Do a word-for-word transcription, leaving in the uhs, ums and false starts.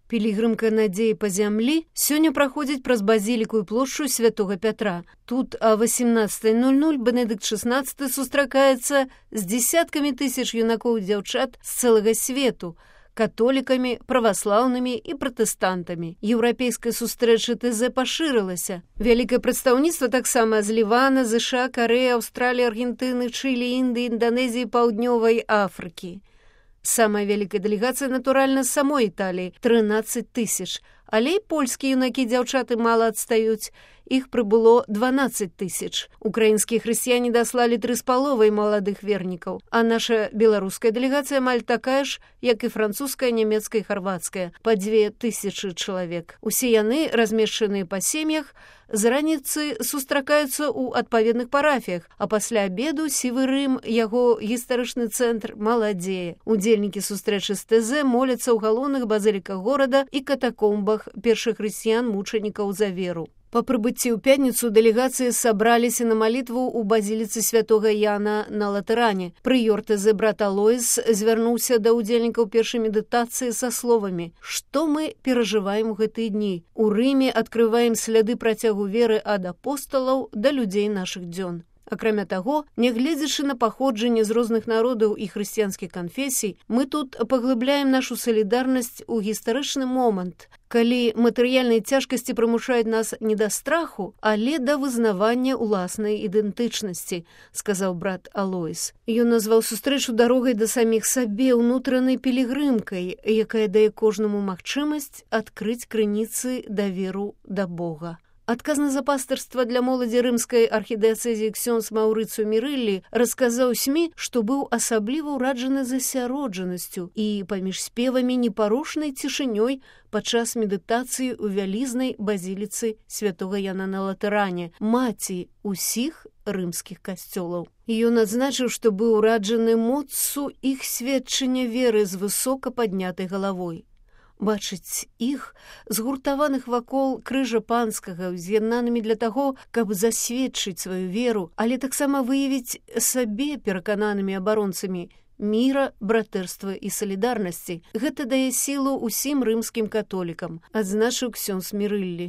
Пілігрымка надзеі па зямлі сёння праходзіць праз базіліку і плошчу святога Пятра. Тут а восемнадцатай ноль ноль Бенедыкт шестнадцаты сустракаецца з дзясяткамі тысяч юнакоў і дзяўчат з цэлага свету, католікамі, праваслаўнымі і пратэстантамі. Еўрапейская сустрэча ТЗ пашырылася. Вялікае прадстаўніцтва таксама з Лівана, ЗША, Карэі, Аўстраліі, Аргентыны, Чылі, Індыі, Інданезіі, Паўднёвай Афрыкі. Самая вялікая дэлегацыя, натуральна, з самой Італіі – трынаццаць тысяч. Але і польскія юнакі дзяўчаты мала адстаюць. Іх прыбыло дванаццаць тысяч. Украінскія хрысціяне даслалі тры з паловай маладых вернікаў. А наша беларуская дэлегацыя амаль такая ж, як і французская, нямецкая і харвацкая, па дзве тысячы чалавек. Усе яны, размешчаныя па сем'ях, з раніцы сустракаюцца ў адпаведных парафіях, а пасля абеду сівы Рым, яго гістарычны цэнтр, маладзее. Удзельнікі сустрэчы з ТЗ моляцца ў галоўных базыліках горада і катакомбах першых хрысціян-мучанікаў за веру. Па прыбыцці ў пятніцу дэлегацыі сабраліся на малітву ў базіліцы святога Яна на Латэране. Прыёр ТЗ брат Алоіс звярнуўся да ўдзельнікаў першай медытацыі са словамі: «Што мы перажываем у гэтыя дні? У Рыме адкрываем сляды працягу веры ад апосталаў да людзей нашых дзён». Акрамя таго, нягледзячы на паходжанне з розных народаў і хрысціянскіх канфесій, мы тут паглыбляем нашу салідарнасць у гістарычны момант, калі матэрыяльныя цяжкасці прымушаюць нас не да страху, але да вызнавання ўласнай ідэнтычнасці, сказаў брат Алоіс. Ён назваў сустрэчу дарогай да саміх сабе, унутранай пілігрымкай, якая дае кожнаму магчымасць адкрыць крыніцы даверу да Бога. Адказны за пастырства для моладзі рымскай архідыяцэзіі ксёндз Маўрыцыю Мірыллі расказаў СМІ, што быў асабліва ўраджаны засяроджанасцю і паміж спевамі непарушнай цішынёй падчас медытацыі ў вялізнай базіліцы святога Яна на Латэране, маці ўсіх рымскіх касцёлаў. Ён адзначыў, што быў ураджаны моцу іх сведчання веры з высока паднятай галавой. Бачыць іх, згуртаваных вакол крыжа панскага, з'яднанымі для таго, каб засведчыць сваю веру, але таксама выявіць сабе перакананымі абаронцамі міра, братэрства і салідарнасці. Гэта дае сілу ўсім рымскім католікам, адзначыў ксёндз Мірыллі.